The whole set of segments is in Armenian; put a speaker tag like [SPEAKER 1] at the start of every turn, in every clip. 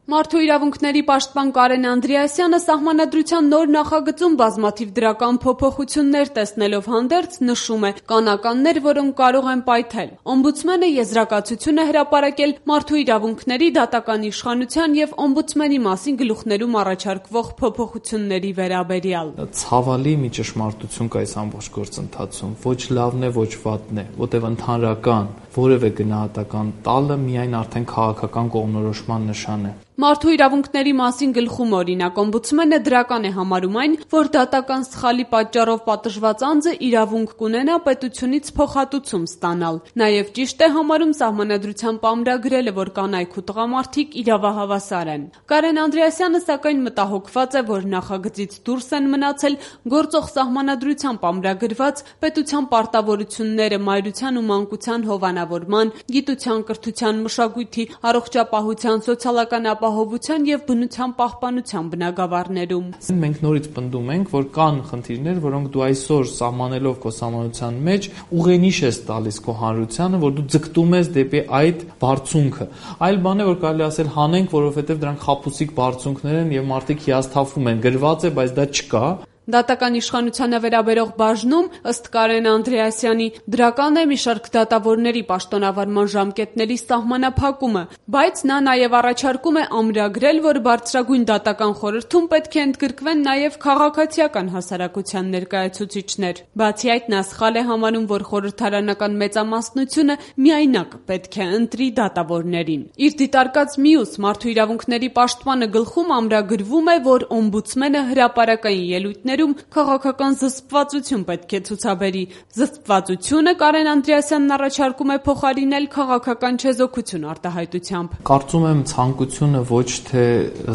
[SPEAKER 1] Մարդու իրավունքների պաշտպան Կարեն Անդրեասյանը սահմանադրության նոր նախագծում բազմաթիվ դրական փոփոխություններ տեսնելով հանդերձ նշում է, կան ականներ, որոնք կարող են պայթել։ Օմբուդսմենը եզրակացություն է հրապարակել մարդու իրավունքների դատական իշխանության եւ օմբուդսմենի մասին գլուխներում առաջարկվող փոփոխությունների վերաբերյալ։
[SPEAKER 2] Ցավալի մի ճշմարտություն կա այս ամբողջ գործընթացում։ Ոչ լավն է, ոչ վատն է, որտեղ ընդհանրական որևէ գնահատական տալը միայն արդեն քաղաքական կողմնորոշման նշան է։
[SPEAKER 1] Մարդու իրավունքների մասին գլխում օրինակ օմբուդսմենը դրական է համարում այն, որ դատական սխալի պատճառով պատժված անձը իրավունք կունենա պետությունից փոխհատուցում ստանալ։ Նաև ճիշտ է համարում սահմանադրությամբ ամրագրելը, որ կանայք ու տղամարդիկ իրավահավասար են։ Կարեն Անդրեասյանը սակայն մտահոգված է, որ նախագծից դուրս են մնացել գործող սահմանադրությամբ ամրագրված պետության պարտավորությունները մայրության ու մանկության հովանավորման, գիտության, կրթության, մշակույթի, առողջապահության, սոցիալական ապահովության եւ բնության պահպանության բնագավառներում։
[SPEAKER 2] Մենք նորից պնդում ենք, որ կան խնդիրներ, որոնք դու այսօր սահմանելով քո սահմանության մեջ ուղենիշ ես տալիս քո հանրությանը, որ դու ձգտում ես դեպի այդ բարձունքը։ Այլ բան է, որ կարելի ասել հանենք, որովհետեւ դրանք խաբուսիկ բարձունքներ են եւ մարդիկ հիասթափվում են, գրված է, բայց դա չկա։
[SPEAKER 1] Դատական իշխանությանը վերաբերող բաժնում, ըստ Կարեն Անդրեասյանի, դրական է մի շարք դատավորների պաշտոնավարման ժամկետների սահմանափակումը, բայց նա նաև առաջարկում է ամրագրել, որ բարձրագույն դատական խորհրդում պետք է ընդգրկվեն նաև քաղաքացիական հասարակության ներկայացուցիչներ։ Բացի այդ, նա սխալ է համարում, որ խորհրդարանական մեծամասնությունը միայնակ պետք է ընտրի դատավորներին։ Իր դիտարկած մյուս մարդու իրավունքների պաշտպանը գլխում ամրագրվում է, որ օմբուդսմենը հրապարակային ելույթներ քաղաքական զսպվածություն պետք է ցուցաբերի։ Զսպվածությունը Կարեն Անդրեասյանն առաջարկում է փոխարինել քաղաքական չեզոքություն արտահայտությամբ։
[SPEAKER 2] Կարծում եմ ցանկությունը ոչ թե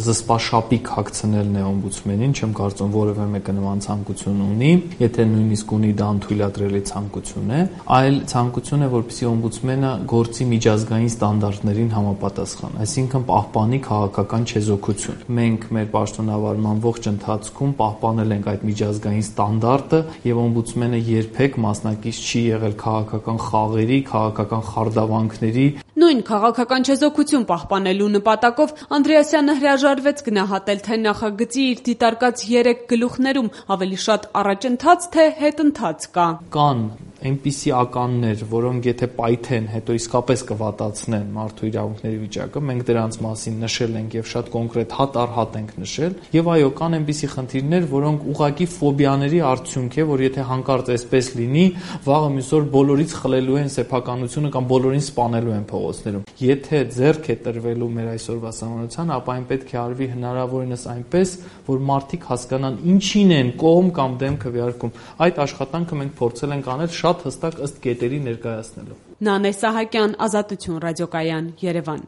[SPEAKER 2] զսպաշապիկ հագցնելն է օմբուդսմենին, չեմ կարծում որևէ մեկը նման ցանկություն ունի, եթե նույնիսկ ունի դա անթույլատրելի ցանկություն է, այլ ցանկություն է, որպեսզի օմբուդսմենը գործի միջազգային ստանդարտներին համապատասխան, այսինքն պահպանի քաղաքական չեզոքություն։ Մենք մեր պաշտոնավարման ողջ ընթացքում պահպանել ենք այդ միջազգային ստանդարտը եւ օմբուդսմենը երբեք մասնակից չի եղել քաղաքական խաղերի, քաղաքական խարդավանքների։
[SPEAKER 1] Նույն քաղաքական չեզոքություն պահպանելու նպատակով Անդրեասյանը հրաժարվեց գնահատել, թե նախագծի իր դիտարկած 3 գլուխներում ավելի շատ առաջընթաց թե հետընթաց կա։
[SPEAKER 2] Կան այնպիսի ականներ, որոնք եթե պայթեն, հետո իսկապես կվատացնեն մարդու իրավունքների վիճակը, մենք դրանց մասին նշել ենք եւ շատ կոնկրետ հատ առ հատ ենք նշել, եւ այո, կան այնպիսի խնդիրներ, որոնք ուղղակի ֆոբիաների արդյունք է, որ եթե հանկարծ այսպես լինի, վաղը մյուս օր բոլորից խլելու են սեփականությունը կամ բոլորին սպանելու են փողոցներում։ Եթե ձեռք է տրվելու մեր այսօրվա սահմանության, ապա այն պետք է արվի հնարավորինս այնպես, որ մարդիկ հասկանան ինչին են կողմ կամ դեմ քվեարկում։ Այդ աշխատանքը մենք փորձել ենք անել շատ հստակ ըստ կետերի ներկայացնելով։
[SPEAKER 1] Նանե Սահակյան, Ազատություն ռադիոկայան, Երևան։